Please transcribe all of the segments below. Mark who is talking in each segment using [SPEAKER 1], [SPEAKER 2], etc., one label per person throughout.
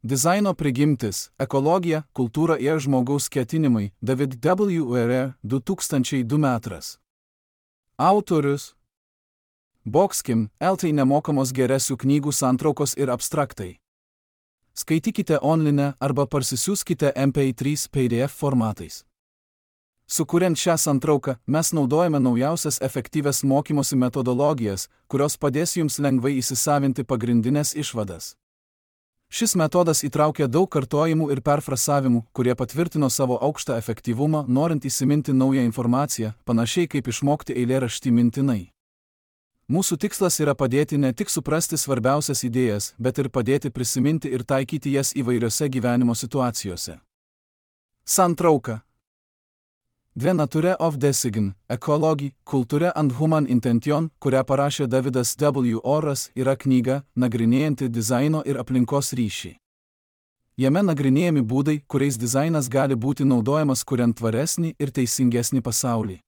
[SPEAKER 1] Dizaino prigimtis, ekologija, kultūra ir žmogaus ketinimai, David W. Ware, 2002 metras. Autorius Boxkim, LT nemokamos geresių knygų santraukos ir abstraktai. Skaitykite online arba parsisiųskite MP3 PDF formatais. Sukuriant šią santrauką, mes naudojame naujausias efektyvias mokymosi metodologijas, kurios padės jums lengvai įsisavinti pagrindinės išvadas. Šis metodas įtraukia daug kartojimų ir perfrasavimų, kurie patvirtino savo aukštą efektyvumą, norint įsiminti naują informaciją, panašiai kaip išmokti eilėraštį mintinai. Mūsų tikslas yra padėti ne tik suprasti svarbiausias idėjas, bet ir padėti prisiminti ir taikyti jas įvairiose gyvenimo situacijose. Santrauka. The Nature of Design, Ecology, Culture and Human Intention, kurią parašė Davidas W. Oras, yra knyga, nagrinėjanti dizaino ir aplinkos ryšį. Jame nagrinėjami būdai, kuriais dizainas gali būti naudojamas kuriant tvaresnį ir teisingesnį pasaulį.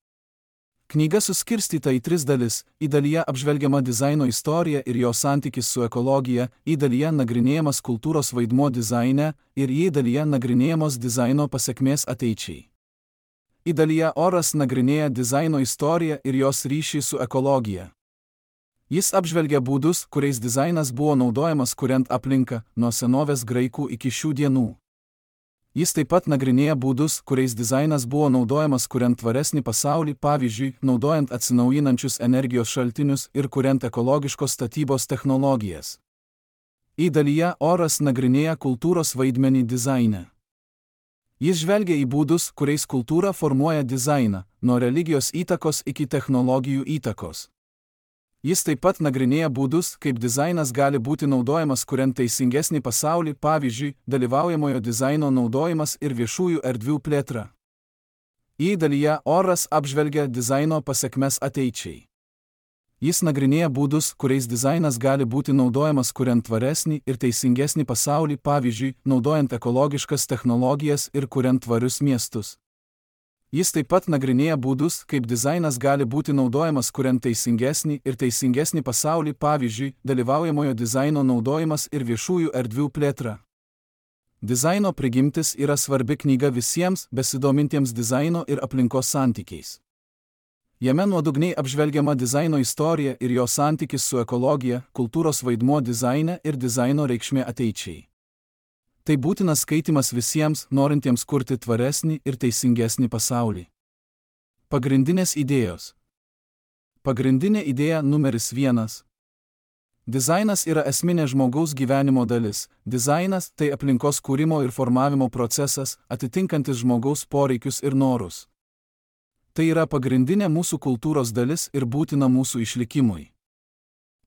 [SPEAKER 1] Knyga suskirstyta į 3 dalis, į dalyje apžvelgiama dizaino istorija ir jo santykis su ekologija, į dalyje nagrinėjamas kultūros vaidmuo dizaine ir į dalyje nagrinėjamos dizaino pasekmės ateičiai. Į dalyje Oras nagrinėja dizaino istoriją ir jos ryšį su ekologija. Jis apžvelgia būdus, kuriais dizainas buvo naudojamas kuriant aplinką, nuo senovės graikų iki šių dienų. Jis taip pat nagrinėja būdus, kuriais dizainas buvo naudojamas kuriant tvaresnį pasaulį, pavyzdžiui, naudojant atsinaujinančius energijos šaltinius ir kuriant ekologiškos statybos technologijas. Į dalyje Oras nagrinėja kultūros vaidmenį dizaine. Jis žvelgia į būdus, kuriais kultūra formuoja dizainą, nuo religijos įtakos iki technologijų įtakos. Jis taip pat nagrinėja būdus, kaip dizainas gali būti naudojamas kuriant teisingesnį pasaulį, pavyzdžiui, dalyvaujamojo dizaino naudojimas ir viešųjų erdvių plėtra. Į dalyje Oras apžvelgia dizaino pasekmes ateičiai. Jis nagrinėja būdus, kuriais dizainas gali būti naudojamas kuriant tvaresnį ir teisingesnį pasaulį, pavyzdžiui, naudojant ekologiškas technologijas ir kuriant tvarius miestus. Jis taip pat nagrinėja būdus, kaip dizainas gali būti naudojamas kuriant teisingesnį ir teisingesnį pasaulį, pavyzdžiui, dalyvaujamojo dizaino naudojimas ir viešųjų erdvių plėtra. Dizaino prigimtis yra svarbi knyga visiems besidomintiems dizaino ir aplinkos santykiais. Jame nuodugniai apžvelgiama dizaino istorija ir jo santykis su ekologija, kultūros vaidmuo dizaine ir dizaino reikšmė ateičiai. Tai būtinas skaitimas visiems, norintiems kurti tvaresnį ir teisingesnį pasaulį. Pagrindinės idėjos. Pagrindinė idėja numeris 1. Dizainas yra esminė žmogaus gyvenimo dalis. Dizainas tai aplinkos kūrimo ir formavimo procesas, atitinkantis žmogaus poreikius ir norus. Tai yra pagrindinė mūsų kultūros dalis ir būtina mūsų išlikimui.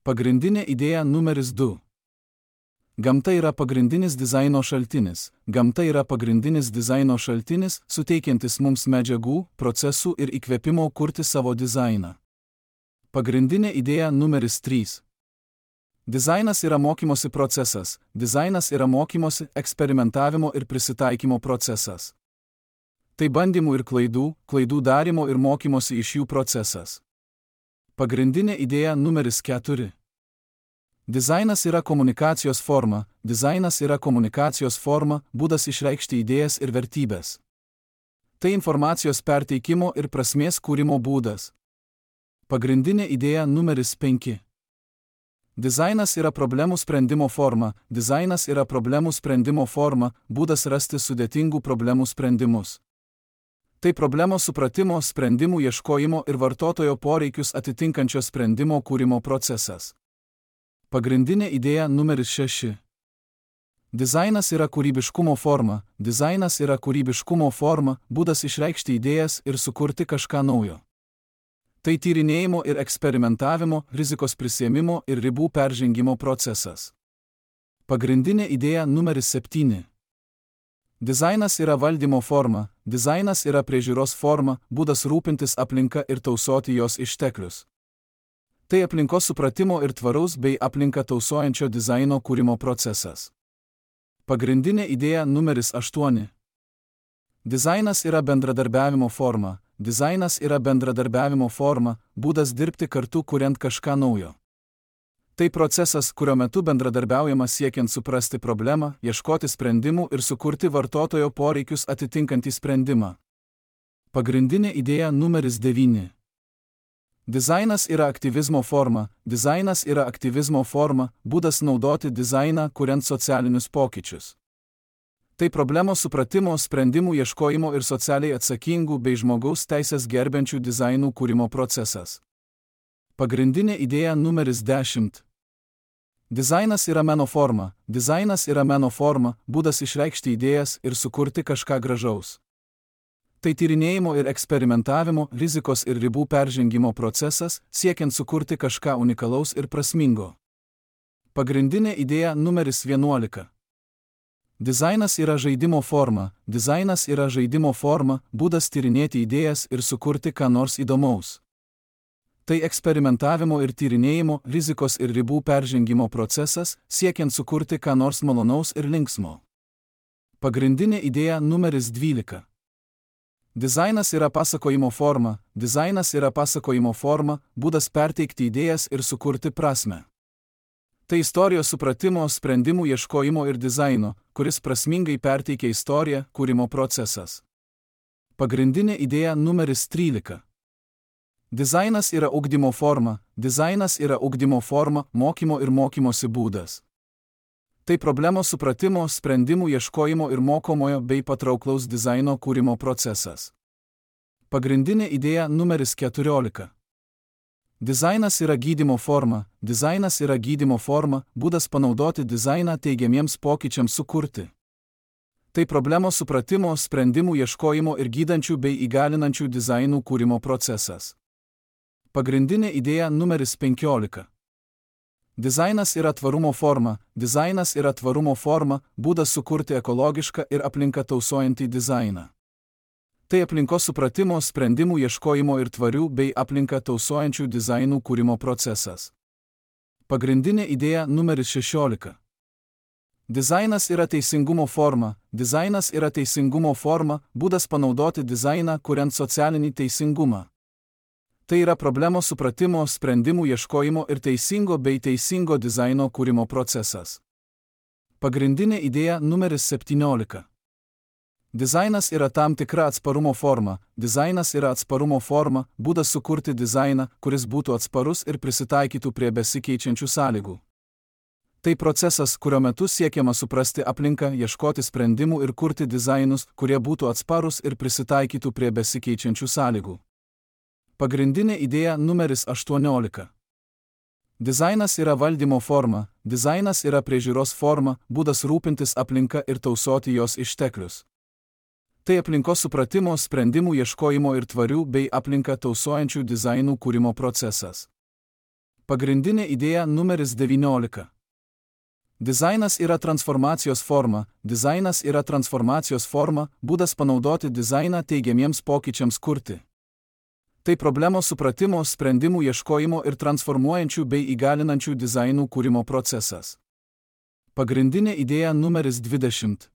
[SPEAKER 1] Pagrindinė idėja numeris 2. Gamta yra pagrindinis dizaino šaltinis. Gamta yra pagrindinis dizaino šaltinis, suteikiantis mums medžiagų, procesų ir įkvėpimo kurti savo dizainą. Pagrindinė idėja numeris 3. Dizainas yra mokymosi procesas. Dizainas yra mokymosi, eksperimentavimo ir prisitaikymo procesas. Tai bandymų ir klaidų darimo ir mokymosi iš jų procesas. Pagrindinė idėja numeris 4. Dizainas yra komunikacijos forma. Dizainas yra komunikacijos forma, būdas išreikšti idėjas ir vertybės. Tai informacijos perteikimo ir prasmės kūrimo būdas. Pagrindinė idėja numeris 5. Dizainas yra problemų sprendimo forma. Dizainas yra problemų sprendimo forma, būdas rasti sudėtingų problemų sprendimus. Tai problemos supratimo, sprendimų ieškojimo ir vartotojo poreikius atitinkančio sprendimo kūrimo procesas. Pagrindinė idėja numeris 6. Dizainas yra kūrybiškumo forma. Dizainas yra kūrybiškumo forma, būdas išreikšti idėjas ir sukurti kažką naujo. Tai tyrinėjimo ir eksperimentavimo, rizikos prisiėmimo ir ribų peržengimo procesas. Pagrindinė idėja numeris 7. Dizainas yra valdymo forma. Dizainas yra priežiūros forma, būdas rūpintis aplinka ir tausoti jos išteklius. Tai aplinkos supratimo ir tvaraus bei aplinką tausojančio dizaino kūrimo procesas. Pagrindinė idėja numeris 8. Dizainas yra bendradarbiavimo forma. Dizainas yra bendradarbiavimo forma, būdas dirbti kartu kuriant kažką naujo. Tai procesas, kurio metu bendradarbiaujama siekiant suprasti problemą, ieškoti sprendimų ir sukurti vartotojo poreikius atitinkantį sprendimą. Pagrindinė idėja numeris 9. Dizainas yra aktyvizmo forma. Dizainas yra aktyvizmo forma, būdas naudoti dizainą, kuriant socialinius pokyčius. Tai problemos supratimo, sprendimų ieškojimo ir socialiai atsakingų bei žmogaus teisės gerbiančių dizainų kūrimo procesas. Pagrindinė idėja numeris 10. Dizainas yra meno forma. Dizainas yra meno forma, būdas išreikšti idėjas ir sukurti kažką gražaus. Tai tyrinėjimo ir eksperimentavimo, rizikos ir ribų peržengimo procesas, siekiant sukurti kažką unikalaus ir prasmingo. Pagrindinė idėja numeris 11. Dizainas yra žaidimo forma. Dizainas yra žaidimo forma, būdas tyrinėti idėjas ir sukurti ką nors įdomaus. Tai eksperimentavimo ir tyrinėjimo, rizikos ir ribų peržengimo procesas, siekiant sukurti ką nors malonaus ir linksmo. Pagrindinė idėja numeris 12. Dizainas yra pasakojimo forma. Dizainas yra pasakojimo forma, būdas perteikti idėjas ir sukurti prasmę. Tai istorijos supratimo, sprendimų ieškojimo ir dizaino, kuris prasmingai perteikia istoriją, kūrimo procesas. Pagrindinė idėja numeris 13. Dizainas yra ugdymo forma. Dizainas yra ugdymo forma, mokymo ir mokymosi būdas. Tai problemos supratimo, sprendimų ieškojimo ir mokomojo bei patrauklaus dizaino kūrimo procesas. Pagrindinė idėja numeris 14. Dizainas yra gydymo forma. Dizainas yra gydymo forma, būdas panaudoti dizainą teigiamiems pokyčiams sukurti. Tai problemos supratimo, sprendimų ieškojimo ir gydančių bei įgalinančių dizainų kūrimo procesas. Pagrindinė idėja numeris 15. Dizainas yra tvarumo forma. Dizainas yra tvarumo forma, būdas sukurti ekologišką ir aplinką tausojantį dizainą. Tai aplinkos supratimo, sprendimų ieškojimo ir tvarių bei aplinką tausojančių dizainų kūrimo procesas. Pagrindinė idėja numeris 16. Dizainas yra teisingumo forma. Dizainas yra teisingumo forma, būdas panaudoti dizainą, kuriant socialinį teisingumą. Tai yra problemos supratimo, sprendimų ieškojimo ir teisingo bei teisingo dizaino kūrimo procesas. Pagrindinė idėja numeris 17. Dizainas yra tam tikra atsparumo forma. Dizainas yra atsparumo forma, būdas sukurti dizainą, kuris būtų atsparus ir prisitaikytų prie besikeičiančių sąlygų. Tai procesas, kurio metu siekiama suprasti aplinką, ieškoti sprendimų ir kurti dizainus, kurie būtų atsparus ir prisitaikytų prie besikeičiančių sąlygų. Pagrindinė idėja numeris 18. Dizainas yra valdymo forma. Dizainas yra priežiūros forma, būdas rūpintis aplinka ir tausoti jos išteklius. Tai aplinkos supratimo, sprendimų ieškojimo ir tvarių bei aplinką tausojančių dizainų kūrimo procesas. Pagrindinė idėja numeris 19. Dizainas yra transformacijos forma. Dizainas yra transformacijos forma, būdas panaudoti dizainą teigiamiems pokyčiams kurti. Tai problemos supratimo, sprendimų ieškojimo ir transformuojančių bei įgalinančių dizainų kūrimo procesas. Pagrindinė idėja numeris 20.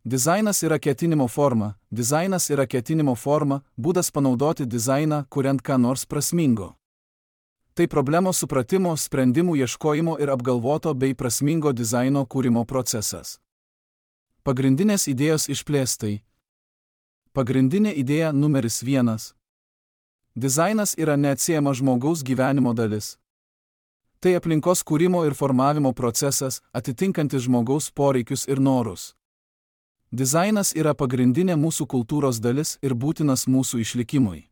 [SPEAKER 1] Dizainas yra ketinimo forma. Dizainas yra ketinimo forma, būdas panaudoti dizainą, kuriant ką nors prasmingo. Tai problemos supratimo, sprendimų ieškojimo ir apgalvoto bei prasmingo dizaino kūrimo procesas. Pagrindinės idėjos išplėstai. Pagrindinė idėja numeris 1. Dizainas yra neatsiejama žmogaus gyvenimo dalis. Tai aplinkos kūrimo ir formavimo procesas, atitinkantis žmogaus poreikius ir norus. Dizainas yra pagrindinė mūsų kultūros dalis ir būtinas mūsų išlikimui.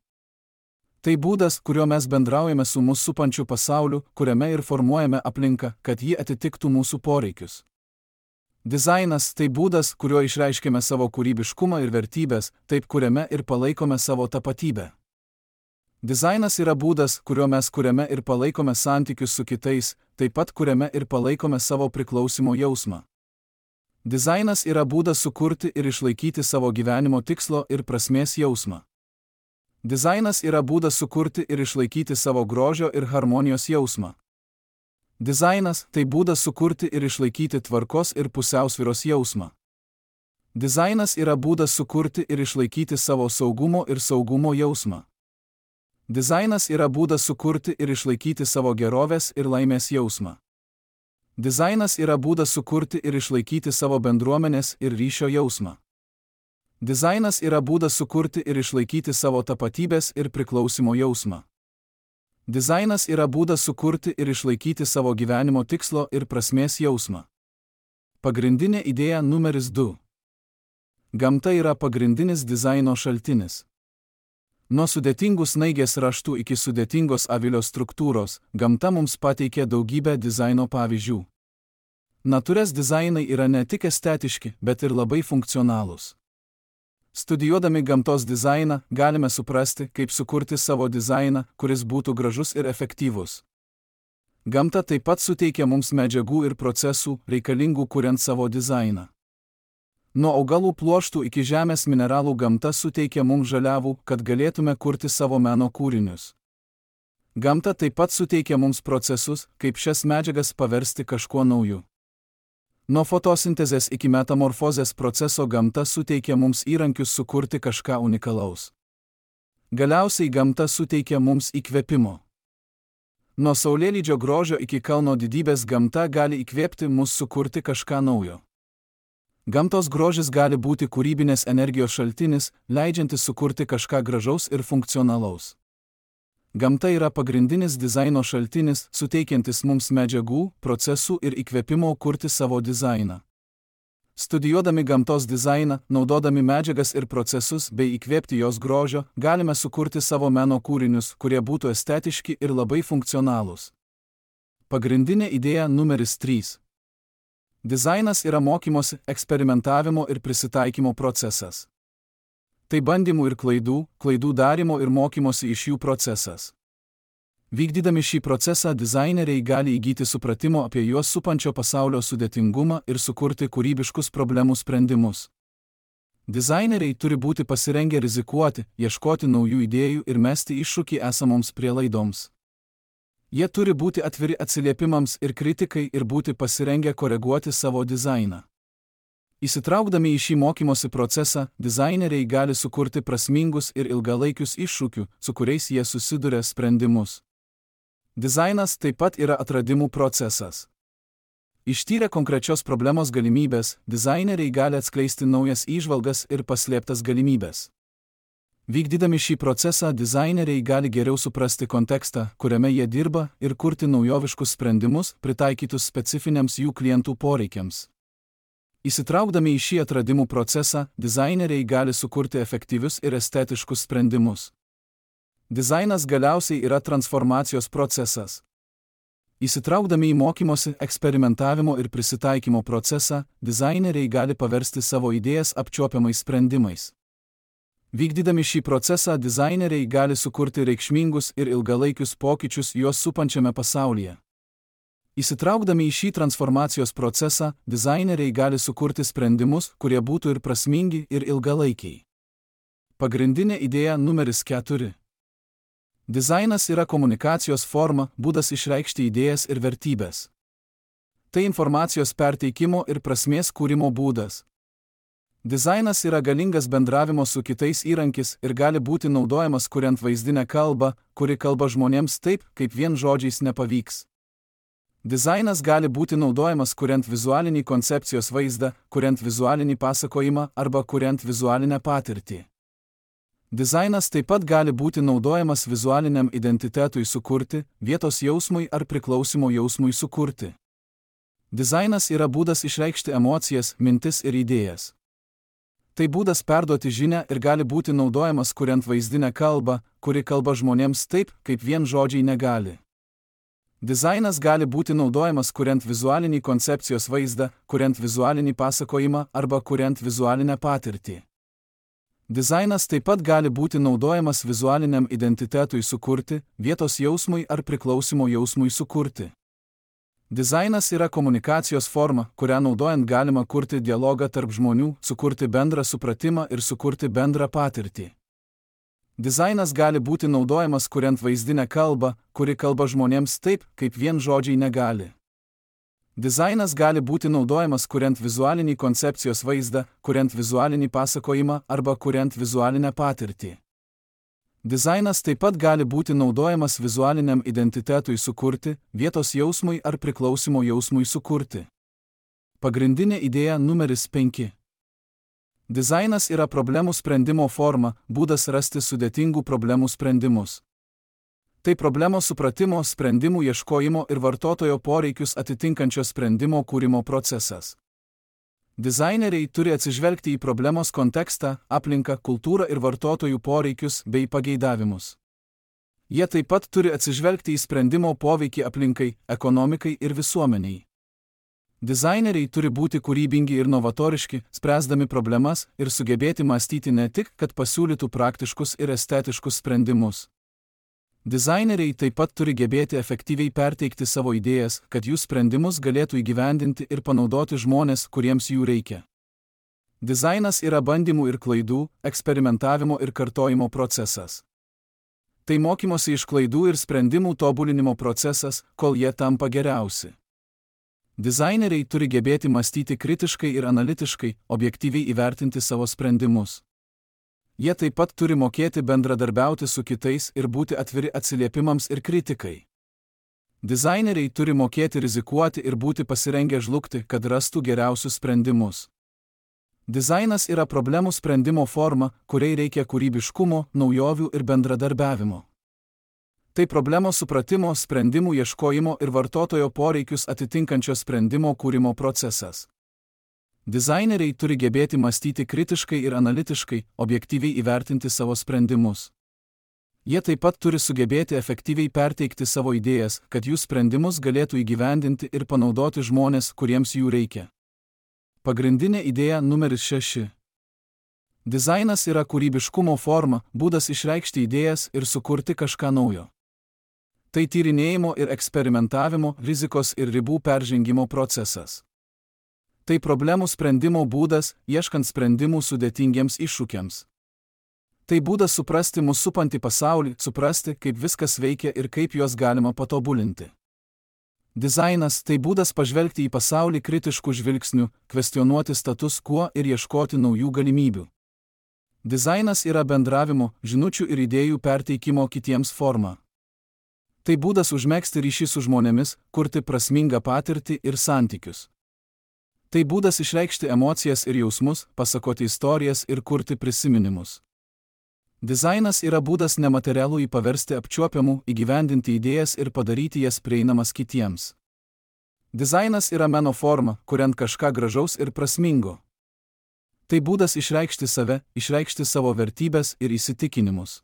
[SPEAKER 1] Tai būdas, kuriuo mes bendraujame su mus supančiu pasauliu, kuriame ir formuojame aplinką, kad ji atitiktų mūsų poreikius. Dizainas tai būdas, kuriuo išreiškiame savo kūrybiškumą ir vertybės, taip kuriame ir palaikome savo tapatybę. Dizainas yra būdas, kuriuo mes kuriame ir palaikome santykius su kitais, taip pat kuriame ir palaikome savo priklausimo jausmą. Dizainas yra būdas sukurti ir išlaikyti savo gyvenimo tikslo ir prasmės jausmą. Dizainas yra būdas sukurti ir išlaikyti savo grožio ir harmonijos jausmą. Dizainas tai būdas sukurti ir išlaikyti tvarkos ir pusiausvyros jausmą. Dizainas yra būdas sukurti ir išlaikyti savo saugumo ir saugumo jausmą. Dizainas yra būdas sukurti ir išlaikyti savo gerovės ir laimės jausmą. Dizainas yra būdas sukurti ir išlaikyti savo bendruomenės ir ryšio jausmą. Dizainas yra būdas sukurti ir išlaikyti savo tapatybės ir priklausimo jausmą. Dizainas yra būdas sukurti ir išlaikyti savo gyvenimo tikslo ir prasmės jausmą. Pagrindinė idėja numeris 2. Gamta yra pagrindinis dizaino šaltinis. Nuo sudėtingų snaigės raštų iki sudėtingos avilio struktūros, gamta mums pateikė daugybę dizaino pavyzdžių. Natūros dizainai yra ne tik estetiški, bet ir labai funkcionalūs. Studijuodami gamtos dizainą, galime suprasti, kaip sukurti savo dizainą, kuris būtų gražus ir efektyvus. Gamta taip pat suteikia mums medžiagų ir procesų, reikalingų kuriant savo dizainą. Nuo augalų pluoštų iki žemės mineralų gamta suteikia mums žaliavų, kad galėtume kurti savo meno kūrinius. Gamta taip pat suteikia mums procesus, kaip šias medžiagas paversti kažkuo nauju. Nuo fotosintezės iki metamorfozės proceso gamta suteikia mums įrankius sukurti kažką unikalaus. Galiausiai gamta suteikia mums įkvėpimo. Nuo saulėlydžio grožio iki kalno didybės gamta gali įkvėpti mus sukurti kažką naujo. Gamtos grožis gali būti kūrybinės energijos šaltinis, leidžiantis sukurti kažką gražaus ir funkcionalaus. Gamta yra pagrindinis dizaino šaltinis, suteikiantis mums medžiagų, procesų ir įkvėpimo kurti savo dizainą. Studijuodami gamtos dizainą, naudodami medžiagas ir procesus bei įkvėpti jos grožio, galime sukurti savo meno kūrinius, kurie būtų estetiški ir labai funkcionalūs. Pagrindinė idėja numeris 3. Dizainas yra mokymosi, eksperimentavimo ir prisitaikymo procesas. Tai bandymų ir klaidų darimo ir mokymosi iš jų procesas. Vykdydami šį procesą dizaineriai gali įgyti supratimo apie juos supančio pasaulio sudėtingumą ir sukurti kūrybiškus problemų sprendimus. Dizaineriai turi būti pasirengę rizikuoti, ieškoti naujų idėjų ir mesti iššūkį esamoms prielaidoms. Jie turi būti atviri atsiliepimams ir kritikai ir būti pasirengę koreguoti savo dizainą. Įsitraukdami į šį mokymosi procesą, dizaineriai gali sukurti prasmingus ir ilgalaikius iššūkių, su kuriais jie susiduria sprendimus. Dizainas taip pat yra atradimų procesas. Ištyrę konkrečios problemos galimybės, dizaineriai gali atskleisti naujas įžvalgas ir paslėptas galimybės. Vykdydami šį procesą, dizaineriai gali geriau suprasti kontekstą, kuriame jie dirba, ir kurti naujoviškus sprendimus, pritaikytus specifiniams jų klientų poreikiams. Įsitraukdami į šį atradimų procesą, dizaineriai gali sukurti efektyvius ir estetiškus sprendimus. Dizainas galiausiai yra transformacijos procesas. Įsitraukdami į mokymosi, eksperimentavimo ir prisitaikymo procesą, dizaineriai gali paversti savo idėjas apčiuopiamais sprendimais. Vykdydami šį procesą, dizaineriai gali sukurti reikšmingus ir ilgalaikius pokyčius juos supančiame pasaulyje. Įsitraukdami į šį transformacijos procesą, dizaineriai gali sukurti sprendimus, kurie būtų ir prasmingi, ir ilgalaikiai. Pagrindinė idėja numeris 4. Dizainas yra komunikacijos forma, būdas išreikšti idėjas ir vertybės. Tai informacijos perteikimo ir prasmės kūrimo būdas. Dizainas yra galingas bendravimo su kitais įrankis ir gali būti naudojamas kuriant vaizdinę kalbą, kuri kalba žmonėms taip, kaip vien žodžiais nepavyks. Dizainas gali būti naudojamas kuriant vizualinį koncepcijos vaizdą, kuriant vizualinį pasakojimą arba kuriant vizualinę patirtį. Dizainas taip pat gali būti naudojamas vizualiniam identitetui sukurti, vietos jausmui ar priklausimo jausmui sukurti. Dizainas yra būdas išreikšti emocijas, mintis ir idėjas. Tai būdas perduoti žinią ir gali būti naudojamas kuriant vaizdinę kalbą, kuri kalba žmonėms taip, kaip vien žodžiai negali. Dizainas gali būti naudojamas kuriant vizualinį koncepcijos vaizdą, kuriant vizualinį pasakojimą arba kuriant vizualinę patirtį. Dizainas taip pat gali būti naudojamas vizualiniam identitetui sukurti, vietos jausmui ar priklausimo jausmui sukurti. Dizainas yra komunikacijos forma, kurią naudojant galima kurti dialogą tarp žmonių, sukurti bendrą supratimą ir sukurti bendrą patirtį. Dizainas gali būti naudojamas kuriant vaizdinę kalbą, kuri kalba žmonėms taip, kaip vien žodžiai negali. Dizainas gali būti naudojamas kuriant vizualinį koncepcijos vaizdą, kuriant vizualinį pasakojimą arba kuriant vizualinę patirtį. Dizainas taip pat gali būti naudojamas vizualiniam identitetui sukurti, vietos jausmui ar priklausimo jausmui sukurti. Pagrindinė idėja numeris 5. Dizainas yra problemų sprendimo forma, būdas rasti sudėtingų problemų sprendimus. Tai problemos supratimo, sprendimų ieškojimo ir vartotojo poreikius atitinkančio sprendimo kūrimo procesas. Dizaineriai turi atsižvelgti į problemos kontekstą, aplinką, kultūrą ir vartotojų poreikius bei pageidavimus. Jie taip pat turi atsižvelgti į sprendimo poveikį aplinkai, ekonomikai ir visuomeniai. Dizaineriai turi būti kūrybingi ir novatoriški, spręsdami problemas ir sugebėti mąstyti ne tik, kad pasiūlytų praktiškus ir estetiškus sprendimus. Dizaineriai taip pat turi gebėti efektyviai perteikti savo idėjas, kad jų sprendimus galėtų įgyvendinti ir panaudoti žmonės, kuriems jų reikia. Dizainas yra bandymų ir klaidų, eksperimentavimo ir kartojimo procesas. Tai mokymosi iš klaidų ir sprendimų tobulinimo procesas, kol jie tampa geriausi. Dizaineriai turi gebėti mąstyti kritiškai ir analitiškai, objektyviai įvertinti savo sprendimus. Jie taip pat turi mokėti bendradarbiauti su kitais ir būti atviri atsiliepimams ir kritikai. Dizaineriai turi mokėti rizikuoti ir būti pasirengę žlugti, kad rastų geriausius sprendimus. Dizainas yra problemų sprendimo forma, kuriai reikia kūrybiškumo, naujovių ir bendradarbiavimo. Tai problemos supratimo, sprendimų ieškojimo ir vartotojo poreikius atitinkančio sprendimo kūrimo procesas. Dizaineriai turi gebėti mąstyti kritiškai ir analitiškai, objektyviai įvertinti savo sprendimus. Jie taip pat turi sugebėti efektyviai perteikti savo idėjas, kad jų sprendimus galėtų įgyvendinti ir panaudoti žmonės, kuriems jų reikia. Pagrindinė idėja numeris 6. Dizainas yra kūrybiškumo forma, būdas išreikšti idėjas ir sukurti kažką naujo. Tai tyrinėjimo ir eksperimentavimo, rizikos ir ribų peržengimo procesas. Tai problemų sprendimo būdas, ieškant sprendimų sudėtingiems iššūkiams. Tai būdas suprasti mus supantį pasaulį, suprasti, kaip viskas veikia ir kaip juos galima patobulinti. Dizainas tai būdas pažvelgti į pasaulį kritiškų žvilgsnių, kvestionuoti status quo ir ieškoti naujų galimybių. Dizainas yra bendravimo, žinučių ir idėjų perteikimo kitiems forma. Tai būdas užmegzti ryšį su žmonėmis, kurti prasmingą patirtį ir santykius. Tai būdas išreikšti emocijas ir jausmus, pasakoti istorijas ir kurti prisiminimus. Dizainas yra būdas nematerialųjį paversti apčiuopiamų, įgyvendinti idėjas ir padaryti jas prieinamas kitiems. Dizainas yra meno forma, kuriant kažką gražaus ir prasmingo. Tai būdas išreikšti save, išreikšti savo vertybės ir įsitikinimus.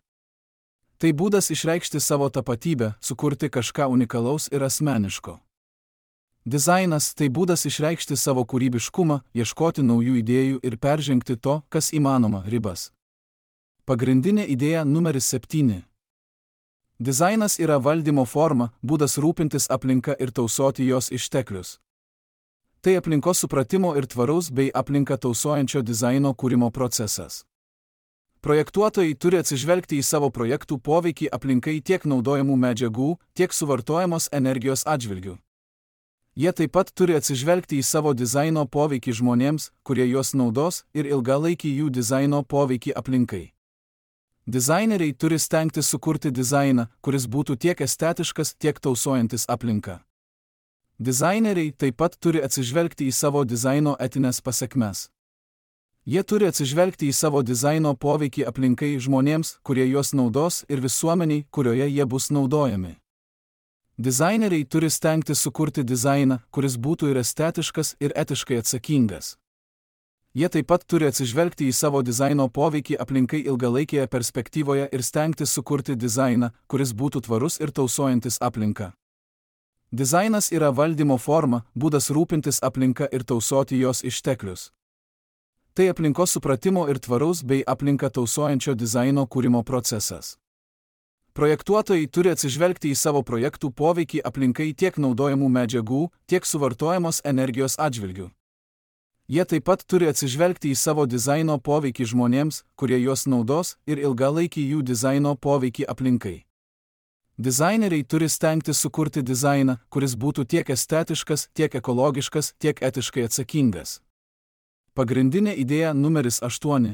[SPEAKER 1] Tai būdas išreikšti savo tapatybę, sukurti kažką unikalaus ir asmeniško. Dizainas tai būdas išreikšti savo kūrybiškumą, ieškoti naujų idėjų ir peržengti to, kas įmanoma, ribas. Pagrindinė idėja numeris 7. Dizainas yra valdymo forma, būdas rūpintis aplinka ir tausoti jos išteklius. Tai aplinkos supratimo ir tvaraus bei aplinką tausojančio dizaino kūrimo procesas. Projektuotojai turi atsižvelgti į savo projektų poveikį aplinkai tiek naudojamų medžiagų, tiek suvartojamos energijos atžvilgių. Jie taip pat turi atsižvelgti į savo dizaino poveikį žmonėms, kurie juos naudos, ir ilgalaikį jų dizaino poveikį aplinkai. Dizaineriai turi stengtis sukurti dizainą, kuris būtų tiek estetiškas, tiek tausojantis aplinką. Dizaineriai taip pat turi atsižvelgti į savo dizaino etinės pasekmes. Jie turi atsižvelgti į savo dizaino poveikį aplinkai žmonėms, kurie juos naudos, ir visuomeniai, kurioje jie bus naudojami. Dizaineriai turi stengtis sukurti dizainą, kuris būtų ir estetiškas, ir etiškai atsakingas. Jie taip pat turi atsižvelgti į savo dizaino poveikį aplinkai ilgalaikėje perspektyvoje ir stengtis sukurti dizainą, kuris būtų tvarus ir tausojantis aplinką. Dizainas yra valdymo forma, būdas rūpintis aplinka ir tausoti jos išteklius. Tai aplinkos supratimo ir tvaraus bei aplinką tausojančio dizaino kūrimo procesas. Projektuotojai turi atsižvelgti į savo projektų poveikį aplinkai tiek naudojamų medžiagų, tiek suvartojamos energijos atžvilgių. Jie taip pat turi atsižvelgti į savo dizaino poveikį žmonėms, kurie juos naudos, ir ilgalaikį jų dizaino poveikį aplinkai. Dizaineriai turi stengtis sukurti dizainą, kuris būtų tiek estetiškas, tiek ekologiškas, tiek etiškai atsakingas. Pagrindinė idėja numeris 8.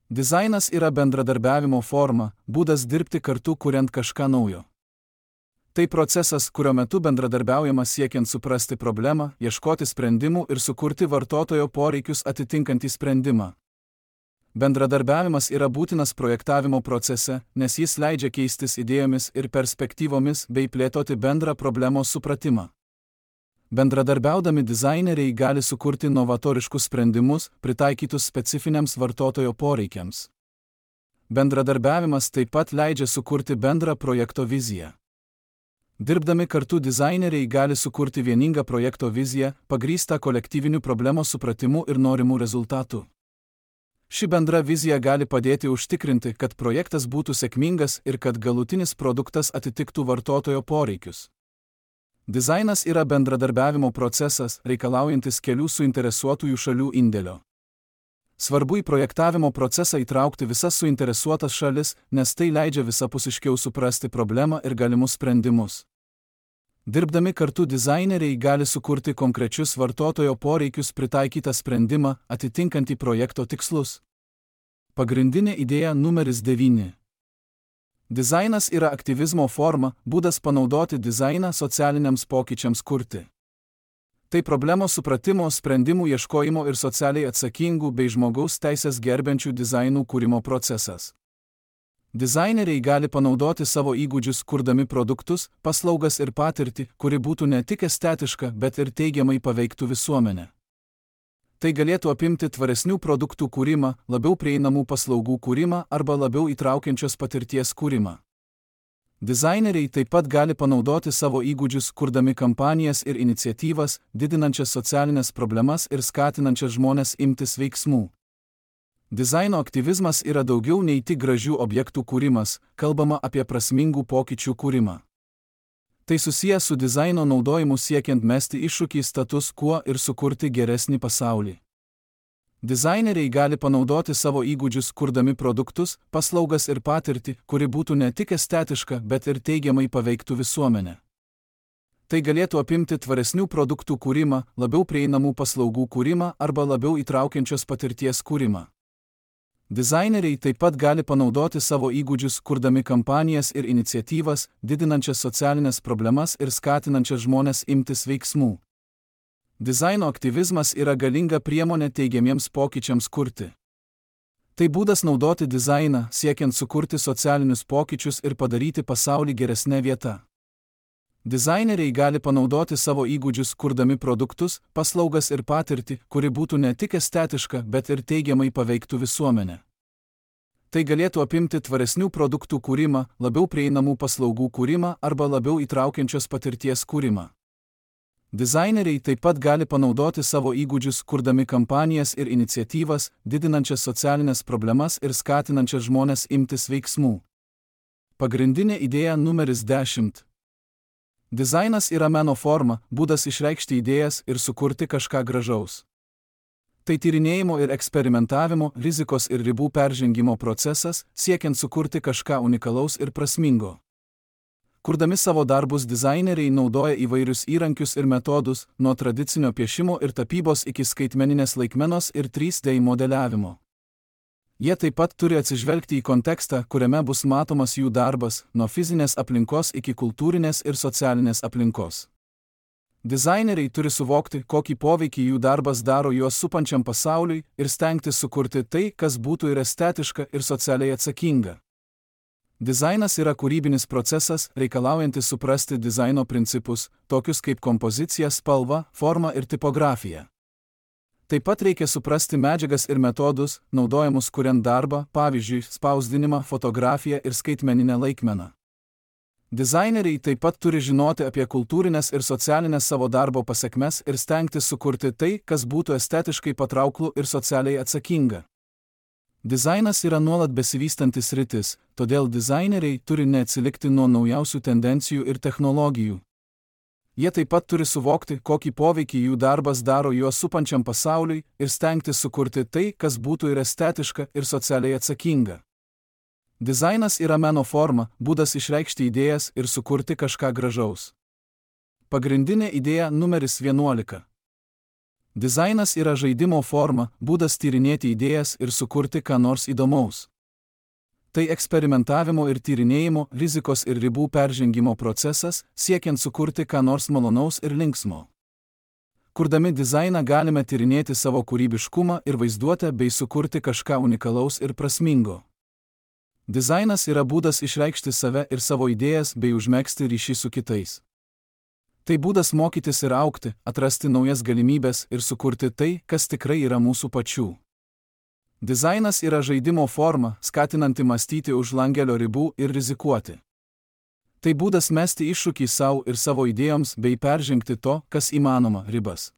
[SPEAKER 1] Dizainas yra bendradarbiavimo forma, būdas dirbti kartu kuriant kažką naujo. Tai procesas, kurio metu bendradarbiaujama siekiant suprasti problemą, ieškoti sprendimų ir sukurti vartotojo poreikius atitinkantį sprendimą. Bendradarbiavimas yra būtinas projektavimo procese, nes jis leidžia keistis idėjomis ir perspektyvomis bei plėtoti bendrą problemos supratimą. Bendradarbiaudami dizaineriai gali sukurti novatoriškus sprendimus, pritaikytus specifiniams vartotojo poreikiams. Bendradarbiavimas taip pat leidžia sukurti bendrą projekto viziją. Dirbdami kartu dizaineriai gali sukurti vieningą projekto viziją, pagrįstą kolektyviniu problemos supratimu ir norimų rezultatų. Ši bendra vizija gali padėti užtikrinti, kad projektas būtų sėkmingas ir kad galutinis produktas atitiktų vartotojo poreikius. Dizainas yra bendradarbiavimo procesas, reikalaujantis kelių suinteresuotųjų šalių indėlio. Svarbu į projektavimo procesą įtraukti visas suinteresuotas šalis, nes tai leidžia visapusiškiau suprasti problemą ir galimus sprendimus. Dirbdami kartu dizaineriai gali sukurti konkrečius vartotojo poreikius pritaikytą sprendimą, atitinkantį projekto tikslus. Pagrindinė idėja numeris 9. Dizainas yra aktyvizmo forma, būdas panaudoti dizainą socialiniams pokyčiams kurti. Tai problemos supratimo, sprendimų ieškojimo ir socialiai atsakingų bei žmogaus teisės gerbiančių dizainų kūrimo procesas. Dizaineriai gali panaudoti savo įgūdžius kurdami produktus, paslaugas ir patirtį, kuri būtų ne tik estetiška, bet ir teigiamai paveiktų visuomenę. Tai galėtų apimti tvaresnių produktų kūrimą, labiau prieinamų paslaugų kūrimą arba labiau įtraukiančios patirties kūrimą. Dizaineriai taip pat gali panaudoti savo įgūdžius kurdami kampanijas ir iniciatyvas, didinančias socialinės problemas ir skatinančias žmones imtis veiksmų. Dizaino aktyvizmas yra daugiau nei tik gražių objektų kūrimas, kalbama apie prasmingų pokyčių kūrimą. Tai susijęs su dizaino naudojimu siekiant mesti iššūkį status quo ir sukurti geresnį pasaulį. Dizaineriai gali panaudoti savo įgūdžius kurdami produktus, paslaugas ir patirtį, kuri būtų ne tik estetiška, bet ir teigiamai paveiktų visuomenę. Tai galėtų apimti tvaresnių produktų kūrimą, labiau prieinamų paslaugų kūrimą arba labiau įtraukiančios patirties kūrimą. Dizaineriai taip pat gali panaudoti savo įgūdžius kurdami kampanijas ir iniciatyvas, didinančias socialinės problemas ir skatinančias žmones imtis veiksmų. Dizaino aktyvizmas yra galinga priemonė teigiamiems pokyčiams kurti. Tai būdas naudoti dizainą, siekiant sukurti socialinius pokyčius ir padaryti pasaulį geresnę vietą. Dizaineriai gali panaudoti savo įgūdžius kurdami produktus, paslaugas ir patirtį, kuri būtų ne tik estetiška, bet ir teigiamai paveiktų visuomenę. Tai galėtų apimti tvaresnių produktų kūrimą, labiau prieinamų paslaugų kūrimą arba labiau įtraukiančios patirties kūrimą. Dizaineriai taip pat gali panaudoti savo įgūdžius kurdami kampanijas ir iniciatyvas, didinančias socialinės problemas ir skatinančias žmones imtis veiksmų. Pagrindinė idėja numeris 10. Dizainas yra meno forma, būdas išreikšti idėjas ir sukurti kažką gražaus. Tai tyrinėjimo ir eksperimentavimo, rizikos ir ribų peržengimo procesas, siekiant sukurti kažką unikalaus ir prasmingo. Kurdami savo darbus dizaineriai naudoja įvairius įrankius ir metodus, nuo tradicinio piešimo ir tapybos iki skaitmeninės laikmenos ir 3D modeliavimo. Jie taip pat turi atsižvelgti į kontekstą, kuriame bus matomas jų darbas, nuo fizinės aplinkos iki kultūrinės ir socialinės aplinkos. Dizaineriai turi suvokti, kokį poveikį jų darbas daro juos supančiam pasauliui ir stengtis sukurti tai, kas būtų ir estetiška, ir socialiai atsakinga. Dizainas yra kūrybinis procesas, reikalaujantis suprasti dizaino principus, tokius kaip kompozicija, spalva, forma ir tipografija. Taip pat reikia suprasti medžiagas ir metodus, naudojamus kuriant darbą, pavyzdžiui, spausdinimą, fotografiją ir skaitmeninę laikmeną. Dizaineriai taip pat turi žinoti apie kultūrinės ir socialinės savo darbo pasekmes ir stengtis sukurti tai, kas būtų estetiškai patrauklų ir socialiai atsakinga. Dizainas yra nuolat besivystantis sritis, todėl dizaineriai turi neatsilikti nuo naujausių tendencijų ir technologijų. Jie taip pat turi suvokti, kokį poveikį jų darbas daro juos supančiam pasauliui ir stengtis sukurti tai, kas būtų ir estetiška, ir socialiai atsakinga. Dizainas yra meno forma, būdas išreikšti idėjas ir sukurti kažką gražaus. Pagrindinė idėja numeris 11. Dizainas yra žaidimo forma, būdas tyrinėti idėjas ir sukurti ką nors įdomaus. Tai eksperimentavimo ir tyrinėjimo, rizikos ir ribų peržengimo procesas, siekiant sukurti ką nors malonaus ir linksmo. Kurdami dizainą galime tyrinėti savo kūrybiškumą ir vaizduotę bei sukurti kažką unikalaus ir prasmingo. Dizainas yra būdas išreikšti save ir savo idėjas bei užmegzti ryšį su kitais. Tai būdas mokytis ir augti, atrasti naujas galimybes ir sukurti tai, kas tikrai yra mūsų pačių. Dizainas yra žaidimo forma, skatinanti mąstyti už langelio ribų ir rizikuoti. Tai būdas mesti iššūkį savo ir savo idėjoms bei peržengti to, kas įmanoma, ribas.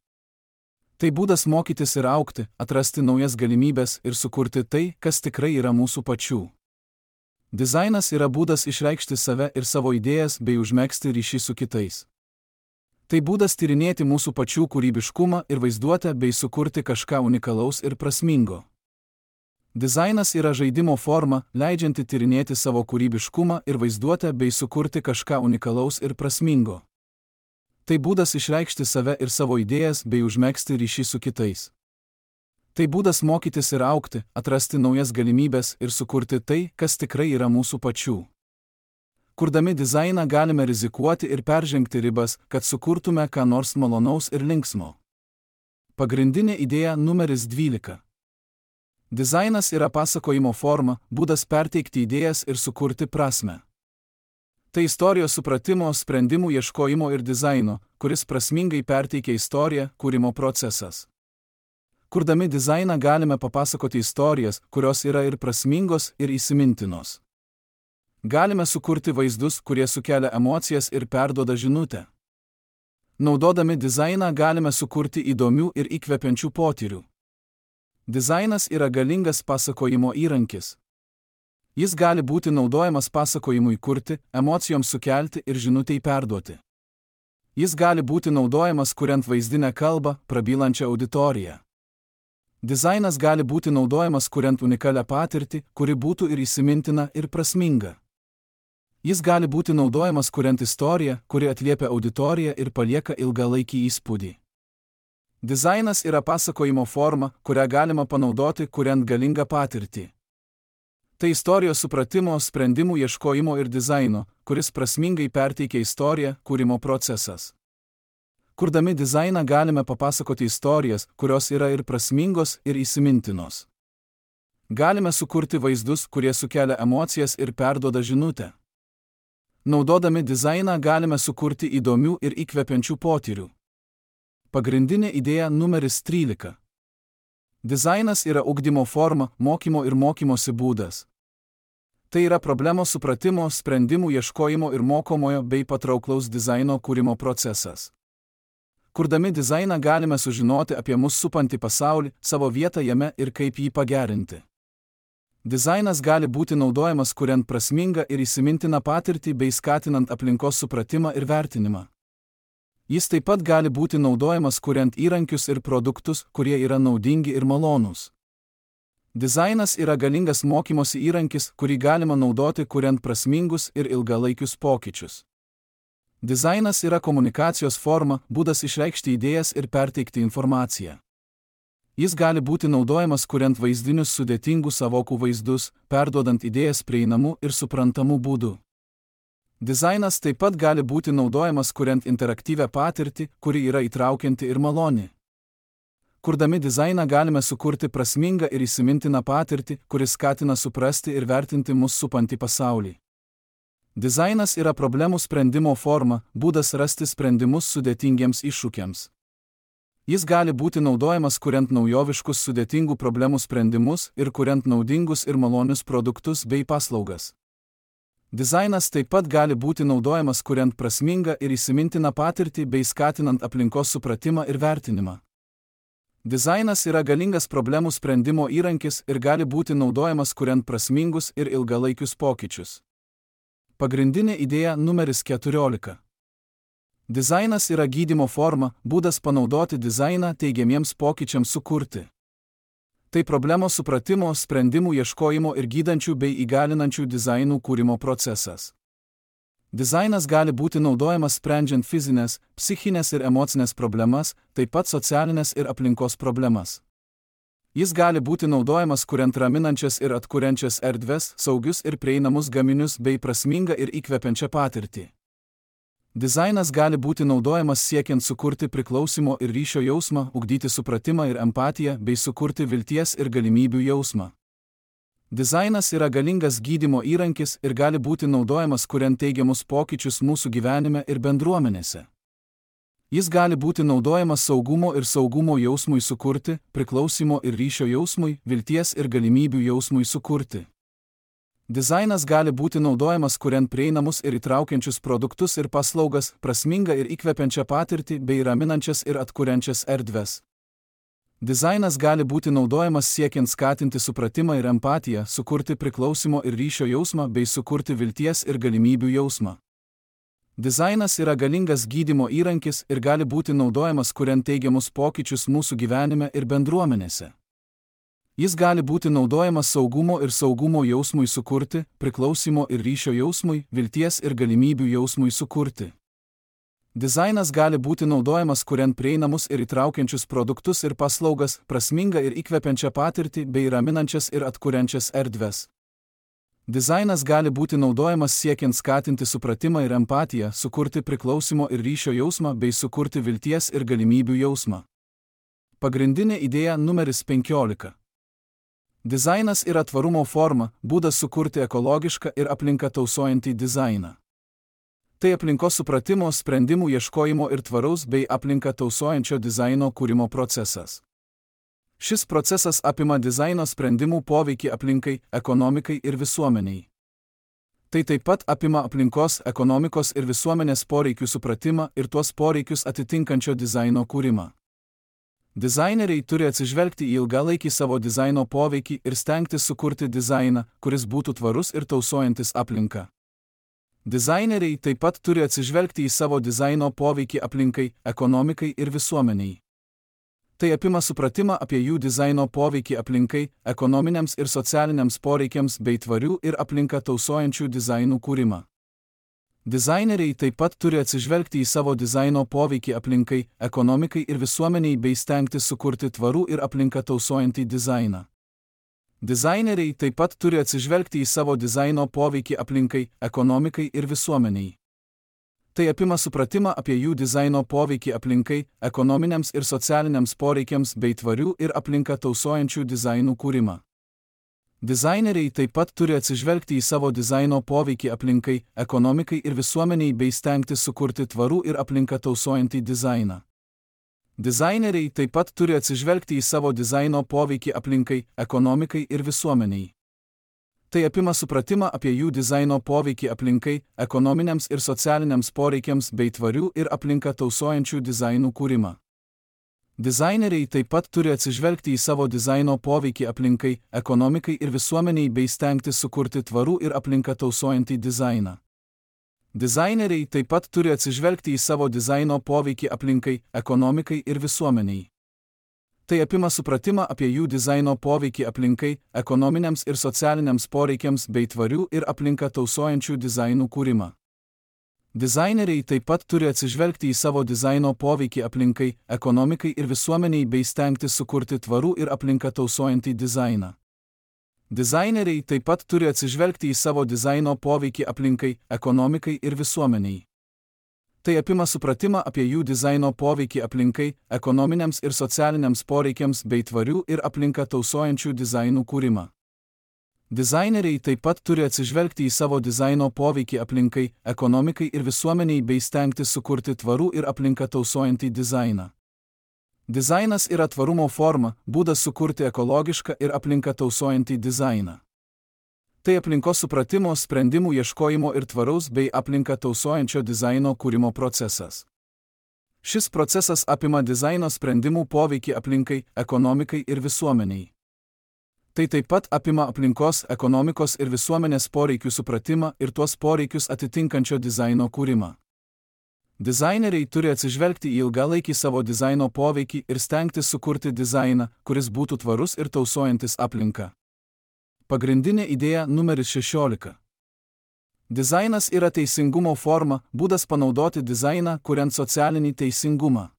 [SPEAKER 1] Tai būdas mokytis ir augti, atrasti naujas galimybes ir sukurti tai, kas tikrai yra mūsų pačių. Dizainas yra būdas išreikšti save ir savo idėjas bei užmegzti ryšį su kitais. Tai būdas tyrinėti mūsų pačių kūrybiškumą ir vaizduotę bei sukurti kažką unikalaus ir prasmingo. Dizainas yra žaidimo forma, leidžianti tyrinėti savo kūrybiškumą ir vaizduotę bei sukurti kažką unikalaus ir prasmingo. Tai būdas išreikšti save ir savo idėjas bei užmegzti ryšį su kitais. Tai būdas mokytis ir augti, atrasti naujas galimybes ir sukurti tai, kas tikrai yra mūsų pačių. Kurdami dizainą galime rizikuoti ir peržengti ribas, kad sukurtume ką nors malonaus ir linksmo. Pagrindinė idėja numeris 12. Dizainas yra pasakojimo forma, būdas perteikti idėjas ir sukurti prasmę. Tai istorijos supratimo, sprendimų ieškojimo ir dizaino, kuris prasmingai perteikia istoriją, kūrimo procesas. Kurdami dizainą galime papasakoti istorijas, kurios yra ir prasmingos, ir įsimintinos. Galime sukurti vaizdus, kurie sukelia emocijas ir perduoda žinutę. Naudodami dizainą galime sukurti įdomių ir įkvepiančių potyrių. Dizainas yra galingas pasakojimo įrankis. Jis gali būti naudojamas pasakojimui kurti, emocijoms sukelti ir žinutei perduoti. Jis gali būti naudojamas kuriant vaizdinę kalbą, prabylančią auditoriją. Dizainas gali būti naudojamas kuriant unikalią patirtį, kuri būtų ir įsimintina, ir prasminga. Jis gali būti naudojamas kuriant istoriją, kuri atliepia auditoriją ir palieka ilgalaikį įspūdį. Dizainas yra pasakojimo forma, kurią galima panaudoti kuriant galingą patirtį. Tai istorijos supratimo, sprendimų ieškojimo ir dizaino, kuris prasmingai perteikia istoriją, kūrimo procesas. Kurdami dizainą galime papasakoti istorijas, kurios yra ir prasmingos, ir įsimintinos. Galime sukurti vaizdus, kurie sukelia emocijas ir perduoda žinutę. Naudodami dizainą galime sukurti įdomių ir įkvepiančių potyrių. Pagrindinė idėja numeris 13. Dizainas yra ugdymo forma, mokymo ir mokymosi būdas. Tai yra problemos supratimo, sprendimų ieškojimo ir mokomojo bei patrauklaus dizaino kūrimo procesas. Kurdami dizainą galime sužinoti apie mus supantį pasaulį, savo vietą jame ir kaip jį pagerinti. Dizainas gali būti naudojamas kuriant prasmingą ir įsimintiną patirtį bei skatinant aplinkos supratimą ir vertinimą. Jis taip pat gali būti naudojamas kuriant įrankius ir produktus, kurie yra naudingi ir malonūs. Dizainas yra galingas mokymosi įrankis, kurį galima naudoti kuriant prasmingus ir ilgalaikius pokyčius. Dizainas yra komunikacijos forma, būdas išreikšti idėjas ir perteikti informaciją. Jis gali būti naudojamas kuriant vaizdinius sudėtingų sąvokų vaizdus, perduodant idėjas prieinamų ir suprantamų būdų. Dizainas taip pat gali būti naudojamas kuriant interaktyvią patirtį, kuri yra įtraukianti ir maloni. Kurdami dizainą galime sukurti prasmingą ir įsimintiną patirtį, kuris skatina suprasti ir vertinti mus supantį pasaulį. Dizainas yra problemų sprendimo forma, būdas rasti sprendimus sudėtingiems iššūkiams. Jis gali būti naudojamas kuriant naujoviškus sudėtingų problemų sprendimus ir kuriant naudingus ir malonius produktus bei paslaugas. Dizainas taip pat gali būti naudojamas kuriant prasmingą ir įsimintiną patirtį bei skatinant aplinkos supratimą ir vertinimą. Dizainas yra galingas problemų sprendimo įrankis ir gali būti naudojamas kuriant prasmingus ir ilgalaikius pokyčius. Pagrindinė idėja numeris 14. Dizainas yra gydymo forma, būdas panaudoti dizainą teigiamiems pokyčiams sukurti. Tai problemos supratimo, sprendimų ieškojimo ir gydančių bei įgalinančių dizainų kūrimo procesas. Dizainas gali būti naudojamas sprendžiant fizinės, psichinės ir emocinės problemas, taip pat socialinės ir aplinkos problemas. Jis gali būti naudojamas kuriant raminančias ir atkuriančias erdves, saugius ir prieinamus gaminius bei prasmingą ir įkvepiančią patirtį. Dizainas gali būti naudojamas siekiant sukurti priklausimo ir ryšio jausmą, ugdyti supratimą ir empatiją bei sukurti vilties ir galimybių jausmą. Dizainas yra galingas gydymo įrankis ir gali būti naudojamas kuriant teigiamus pokyčius mūsų gyvenime ir bendruomenėse. Jis gali būti naudojamas saugumo ir saugumo jausmui sukurti, priklausimo ir ryšio jausmui, vilties ir galimybių jausmui sukurti. Dizainas gali būti naudojamas kuriant prieinamus ir įtraukiančius produktus ir paslaugas, prasmingą ir įkvepiančią patirtį bei raminančias ir atkuriančias erdves. Dizainas gali būti naudojamas siekiant skatinti supratimą ir empatiją, sukurti priklausimo ir ryšio jausmą bei sukurti vilties ir galimybių jausmą. Dizainas yra galingas gydymo įrankis ir gali būti naudojamas kuriant teigiamus pokyčius mūsų gyvenime ir bendruomenėse. Jis gali būti naudojamas saugumo ir saugumo jausmui sukurti, priklausimo ir ryšio jausmui, vilties ir galimybių jausmui sukurti. Dizainas gali būti naudojamas kuriant prieinamus ir įtraukiančius produktus ir paslaugas, prasmingą ir įkvepiančią patirtį bei raminančias ir atkuriančias erdves. Dizainas gali būti naudojamas siekiant skatinti supratimą ir empatiją, sukurti priklausimo ir ryšio jausmą bei sukurti vilties ir galimybių jausmą. Pagrindinė idėja numeris 15. Dizainas yra tvarumo forma, būdas sukurti ekologišką ir aplinką tausojantį dizainą. Tai aplinkos supratimo, sprendimų ieškojimo ir tvaraus bei aplinką tausojančio dizaino kūrimo procesas. Šis procesas apima dizaino sprendimų poveikį aplinkai, ekonomikai ir visuomeniai. Tai taip pat apima aplinkos, ekonomikos ir visuomenės poreikių supratimą ir tuos poreikius atitinkančio dizaino kūrimą. Dizaineriai turi atsižvelgti į ilgalaikį savo dizaino poveikį ir stengtis sukurti dizainą, kuris būtų tvarus ir tausojantis aplinką. Dizaineriai taip pat turi atsižvelgti į savo dizaino poveikį aplinkai, ekonomikai ir visuomeniai. Tai apima supratimą apie jų dizaino poveikį aplinkai, ekonominiams ir socialiniams poreikiams bei tvarių ir aplinką tausojančių dizainų kūrimą. Dizaineriai taip pat turi atsižvelgti į savo dizaino poveikį aplinkai, ekonomikai ir visuomeniai bei stengtis sukurti tvarų ir aplinką tausojantį dizainą. Dizaineriai taip pat turi atsižvelgti į savo dizaino poveikį aplinkai, ekonomikai ir visuomeniai. Tai apima supratimą apie jų dizaino poveikį aplinkai, ekonominiams ir socialiniams poreikiams bei tvarių ir aplinką tausojančių dizainų kūrimą. Dizaineriai taip pat turi atsižvelgti į savo dizaino poveikį aplinkai, ekonomikai ir visuomeniai bei stengtis sukurti tvarų ir aplinką tausojantį dizainą. Dizaineriai taip pat turi atsižvelgti į savo dizaino poveikį aplinkai, ekonomikai ir visuomeniai. Tai apima supratimą apie jų dizaino poveikį aplinkai, ekonominiams ir socialiniams poreikiams bei tvarių ir aplinką tausojančių dizainų kūrimą. Dizaineriai taip pat turi atsižvelgti į savo dizaino poveikį aplinkai, ekonomikai ir visuomeniai bei stengtis sukurti tvarų ir aplinką tausojantį dizainą. Dizaineriai taip pat turi atsižvelgti į savo dizaino poveikį aplinkai, ekonomikai ir visuomeniai. Tai apima supratimą apie jų dizaino poveikį aplinkai, ekonominiams ir socialiniams poreikiams bei tvarių ir aplinką tausojančių dizainų kūrimą. Dizaineriai taip pat turi atsižvelgti į savo dizaino poveikį aplinkai, ekonomikai ir visuomeniai bei stengtis sukurti tvarų ir aplinką tausojantį dizainą. Dizaineriai taip pat turi atsižvelgti į savo dizaino poveikį aplinkai, ekonomikai ir visuomeniai. Tai apima supratimą apie jų dizaino poveikį aplinkai, ekonominiams ir socialiniams poreikiams bei tvarių ir aplinką tausojančių dizainų kūrimą. Dizaineriai taip pat turi atsižvelgti į savo dizaino poveikį aplinkai, ekonomikai ir visuomeniai bei stengtis sukurti tvarų ir aplinką tausojantį dizainą. Dizainas yra tvarumo forma, būdas sukurti ekologišką ir aplinką tausojantį dizainą. Tai aplinkos supratimo, sprendimų ieškojimo ir tvaraus bei aplinką tausojančio dizaino kūrimo procesas. Šis procesas apima dizaino sprendimų poveikį aplinkai, ekonomikai ir visuomeniai. Tai taip pat apima aplinkos, ekonomikos ir visuomenės poreikių supratimą ir tuos poreikius atitinkančio dizaino kūrimą. Dizaineriai turi atsižvelgti į ilgalaikį savo dizaino poveikį ir stengtis sukurti dizainą, kuris būtų tvarus ir tausojantis aplinką. Pagrindinė idėja numeris 16. Dizainas yra teisingumo forma, būdas panaudoti dizainą, kuriant socialinį teisingumą.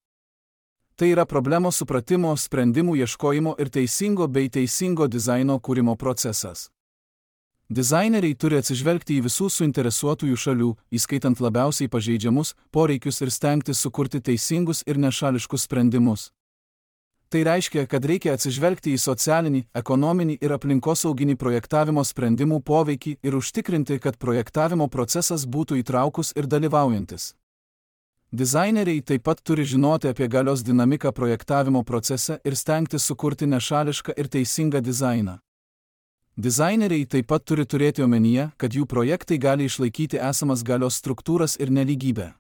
[SPEAKER 1] Tai yra problemos supratimo, sprendimų ieškojimo ir teisingo bei teisingo dizaino kūrimo procesas. Dizaineriai turi atsižvelgti į visų suinteresuotųjų šalių, įskaitant labiausiai pažeidžiamus, poreikius ir stengtis sukurti teisingus ir nešališkus sprendimus. Tai reiškia, kad reikia atsižvelgti į socialinį, ekonominį ir aplinkosauginį projektavimo sprendimų poveikį ir užtikrinti, kad projektavimo procesas būtų įtraukus ir dalyvaujantis. Dizaineriai taip pat turi žinoti apie galios dinamiką projektavimo procese ir stengtis sukurti nešališką ir teisingą dizainą. Dizaineriai taip pat turi turėti omenyje, kad jų projektai gali išlaikyti esamas galios struktūras ir nelygybę.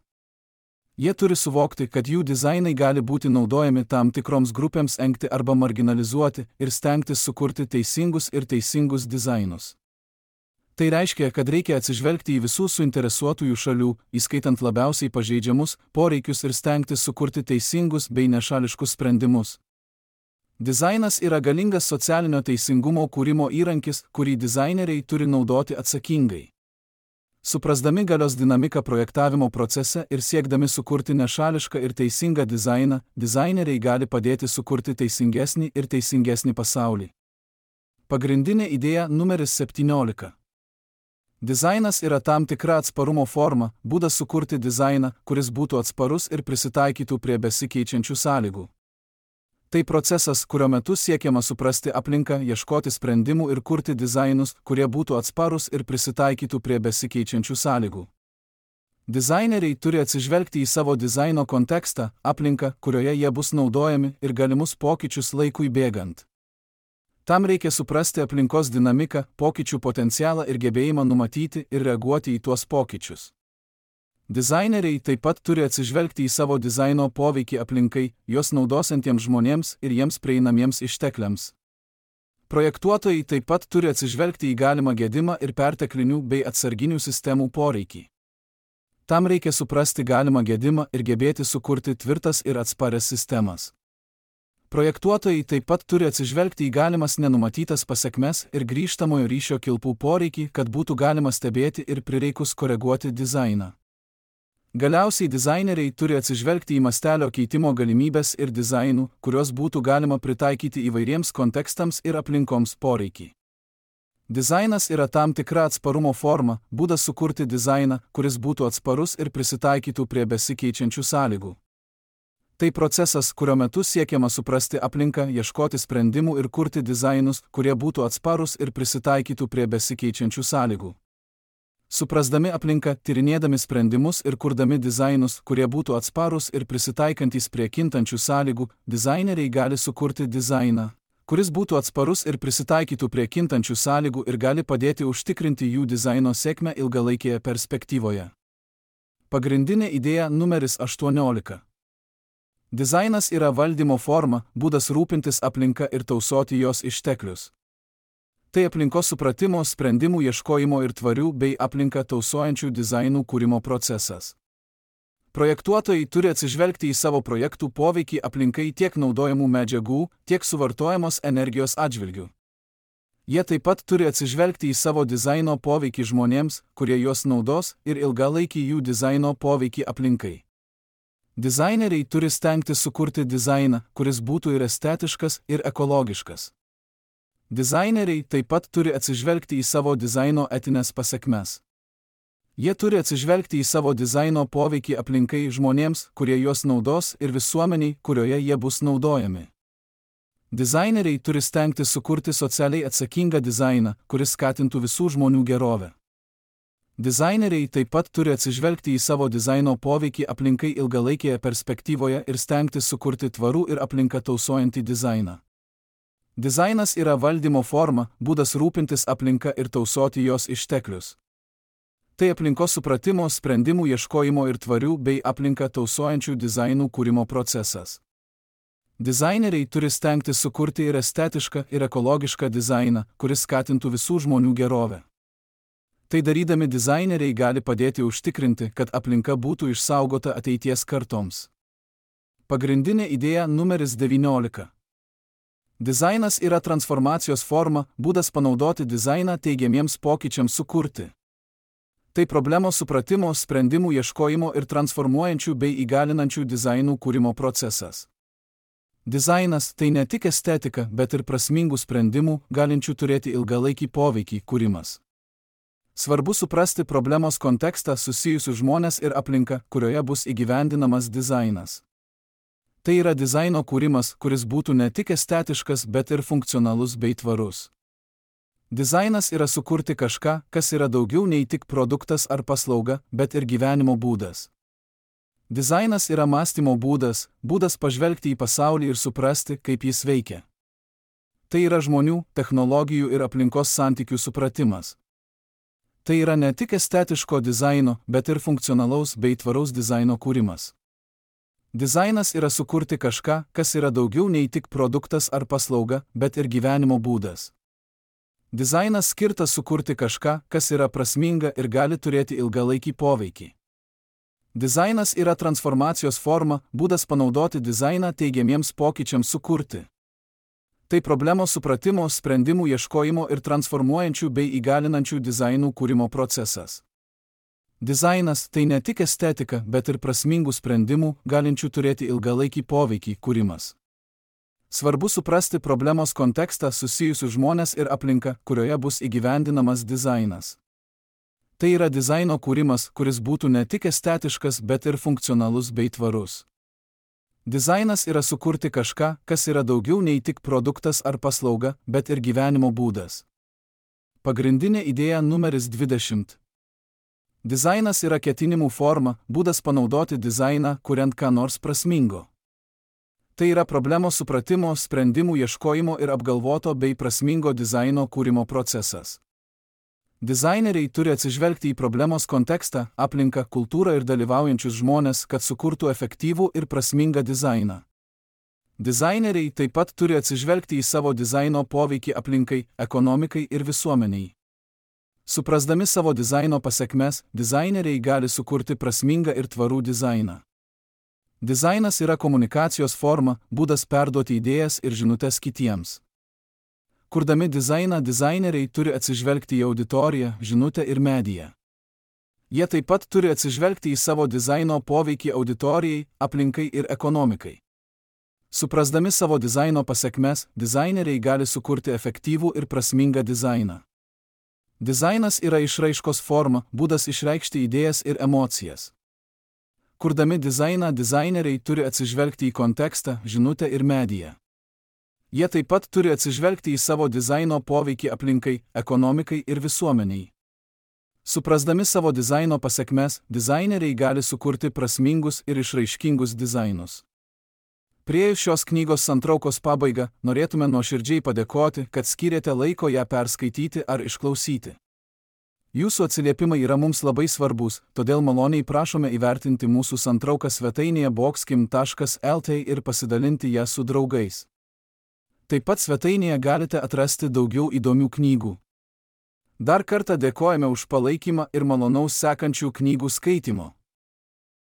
[SPEAKER 1] Jie turi suvokti, kad jų dizainai gali būti naudojami tam tikroms grupėms engti arba marginalizuoti ir stengtis sukurti teisingus ir teisingus dizainus. Tai reiškia, kad reikia atsižvelgti į visų suinteresuotųjų šalių, įskaitant labiausiai pažeidžiamus, poreikius ir stengtis sukurti teisingus bei nešališkus sprendimus. Dizainas yra galingas socialinio teisingumo kūrimo įrankis, kurį dizaineriai turi naudoti atsakingai. Suprasdami galios dinamiką projektavimo procese ir siekdami sukurti nešališką ir teisingą dizainą, dizaineriai gali padėti sukurti teisingesnį ir teisingesnį pasaulį. Pagrindinė idėja numeris 17. Dizainas yra tam tikra atsparumo forma, būdas sukurti dizainą, kuris būtų atsparus ir prisitaikytų prie besikeičiančių sąlygų. Tai procesas, kurio metu siekiama suprasti aplinką, ieškoti sprendimų ir kurti dizainus, kurie būtų atsparus ir prisitaikytų prie besikeičiančių sąlygų. Dizaineriai turi atsižvelgti į savo dizaino kontekstą, aplinką, kurioje jie bus naudojami ir galimus pokyčius laikui bėgant. Tam reikia suprasti aplinkos dinamiką, pokyčių potencialą ir gebėjimą numatyti ir reaguoti į tuos pokyčius. Dizaineriai taip pat turi atsižvelgti į savo dizaino poveikį aplinkai, jos naudosiantiems žmonėms ir jiems prieinamiems ištekliams. Projektuotojai taip pat turi atsižvelgti į galimą gedimą ir perteklinių bei atsarginių sistemų poreikį. Tam reikia suprasti galimą gedimą ir gebėti sukurti tvirtas ir atsparias sistemas. Projektuotojai taip pat turi atsižvelgti į galimas nenumatytas pasekmes ir grįžtamojo ryšio kilpų poreikį, kad būtų galima stebėti ir prireikus koreguoti dizainą. Galiausiai dizaineriai turi atsižvelgti į mastelio keitimo galimybės ir dizainų, kuriuos būtų galima pritaikyti įvairiems kontekstams ir aplinkoms poreikį. Dizainas yra tam tikra atsparumo forma, būdas sukurti dizainą, kuris būtų atsparus ir prisitaikytų prie besikeičiančių sąlygų. Tai procesas, kurio metu siekiama suprasti aplinką, ieškoti sprendimų ir kurti dizainus, kurie būtų atsparus ir prisitaikytų prie besikeičiančių sąlygų. Suprasdami aplinką, tyrinėdami sprendimus ir kurdami dizainus, kurie būtų atsparus ir prisitaikantys prie kintančių sąlygų, dizaineriai gali sukurti dizainą, kuris būtų atsparus ir prisitaikytų prie kintančių sąlygų ir gali padėti užtikrinti jų dizaino sėkmę ilgalaikėje perspektyvoje. Pagrindinė idėja numeris 18. Dizainas yra valdymo forma, būdas rūpintis aplinka ir tausoti jos išteklius. Tai aplinkos supratimo, sprendimų ieškojimo ir tvarių bei aplinką tausojančių dizainų kūrimo procesas. Projektuotojai turi atsižvelgti į savo projektų poveikį aplinkai tiek naudojamų medžiagų, tiek suvartojamos energijos atžvilgių. Jie taip pat turi atsižvelgti į savo dizaino poveikį žmonėms, kurie juos naudos, ir ilgalaikį jų dizaino poveikį aplinkai. Dizaineriai turi stengtis sukurti dizainą, kuris būtų ir estetiškas, ir ekologiškas. Dizaineriai taip pat turi atsižvelgti į savo dizaino etinės pasekmes. Jie turi atsižvelgti į savo dizaino poveikį aplinkai žmonėms, kurie juos naudos, ir visuomeniai, kurioje jie bus naudojami. Dizaineriai turi stengtis sukurti socialiai atsakingą dizainą, kuris skatintų visų žmonių gerovę. Dizaineriai taip pat turi atsižvelgti į savo dizaino poveikį aplinkai ilgalaikėje perspektyvoje ir stengtis sukurti tvarų ir aplinką tausojantį dizainą. Dizainas yra valdymo forma, būdas rūpintis aplinka ir tausoti jos išteklius. Tai aplinkos supratimo, sprendimų ieškojimo ir tvarių bei aplinką tausojančių dizainų kūrimo procesas. Dizaineriai turi stengtis sukurti ir estetišką, ir ekologišką dizainą, kuris skatintų visų žmonių gerovę. Tai darydami dizaineriai gali padėti užtikrinti, kad aplinka būtų išsaugota ateities kartoms. Pagrindinė idėja numeris 19. Dizainas yra transformacijos forma, būdas panaudoti dizainą teigiamiems pokyčiams sukurti. Tai problemos supratimo, sprendimų ieškojimo ir transformuojančių bei įgalinančių dizainų kūrimo procesas. Dizainas tai ne tik estetika, bet ir prasmingų sprendimų, galinčių turėti ilgalaikį poveikį kūrimas. Svarbu suprasti problemos kontekstą susijusių žmonės ir aplinką, kurioje bus įgyvendinamas dizainas. Tai yra dizaino kūrimas, kuris būtų ne tik estetiškas, bet ir funkcionalus bei tvarus. Dizainas yra sukurti kažką, kas yra daugiau nei tik produktas ar paslauga, bet ir gyvenimo būdas. Dizainas yra mąstymo būdas, būdas pažvelgti į pasaulį ir suprasti, kaip jis veikia. Tai yra žmonių, technologijų ir aplinkos santykių supratimas. Tai yra ne tik estetiško dizaino, bet ir funkcionalaus bei tvaraus dizaino kūrimas. Dizainas yra sukurti kažką, kas yra daugiau nei tik produktas ar paslauga, bet ir gyvenimo būdas. Dizainas skirtas sukurti kažką, kas yra prasminga ir gali turėti ilgalaikį poveikį. Dizainas yra transformacijos forma, būdas panaudoti dizainą teigiamiems pokyčiams sukurti. Tai problemos supratimo, sprendimų ieškojimo ir transformuojančių bei įgalinančių dizainų kūrimo procesas. Dizainas tai ne tik estetika, bet ir prasmingų sprendimų, galinčių turėti ilgalaikį poveikį kūrimas. Svarbu suprasti problemos kontekstą susijusių žmonės ir aplinką, kurioje bus įgyvendinamas dizainas. Tai yra dizaino kūrimas, kuris būtų ne tik estetiškas, bet ir funkcionalus bei tvarus. Dizainas yra sukurti kažką, kas yra daugiau nei tik produktas ar paslauga, bet ir gyvenimo būdas. Pagrindinė idėja numeris 20. Dizainas yra ketinimų forma, būdas panaudoti dizainą, kuriant ką nors prasmingo. Tai yra problemos supratimo, sprendimų ieškojimo ir apgalvoto bei prasmingo dizaino kūrimo procesas. Dizaineriai turi atsižvelgti į problemos kontekstą, aplinką, kultūrą ir dalyvaujančius žmonės, kad sukurtų efektyvų ir prasmingą dizainą. Dizaineriai taip pat turi atsižvelgti į savo dizaino poveikį aplinkai, ekonomikai ir visuomeniai. Suprasdami savo dizaino pasekmes, dizaineriai gali sukurti prasmingą ir tvarų dizainą. Dizainas yra komunikacijos forma, būdas perduoti idėjas ir žinutes kitiems. Kurdami dizainą, dizaineriai turi atsižvelgti į auditoriją, žinutę ir mediją. Jie taip pat turi atsižvelgti į savo dizaino poveikį auditorijai, aplinkai ir ekonomikai. Suprasdami savo dizaino pasekmes, dizaineriai gali sukurti efektyvų ir prasmingą dizainą. Dizainas yra išraiškos forma, būdas išreikšti idėjas ir emocijas. Kurdami dizainą, dizaineriai turi atsižvelgti į kontekstą, žinutę ir mediją. Jie taip pat turi atsižvelgti į savo dizaino poveikį aplinkai, ekonomikai ir visuomeniai. Suprasdami savo dizaino pasekmes, dizaineriai gali sukurti prasmingus ir išraiškingus dizainus. Priėjus šios knygos santraukos pabaigą, norėtume nuoširdžiai padėkoti, kad skyrėte laiko ją perskaityti ar išklausyti. Jūsų atsiliepimai yra mums labai svarbus, todėl maloniai prašome įvertinti mūsų santrauką svetainėje boxkim.lt ir pasidalinti ją su draugais. Taip pat svetainėje galite atrasti daugiau įdomių knygų. Dar kartą dėkojame už palaikymą ir malonaus sekančių knygų skaitimo.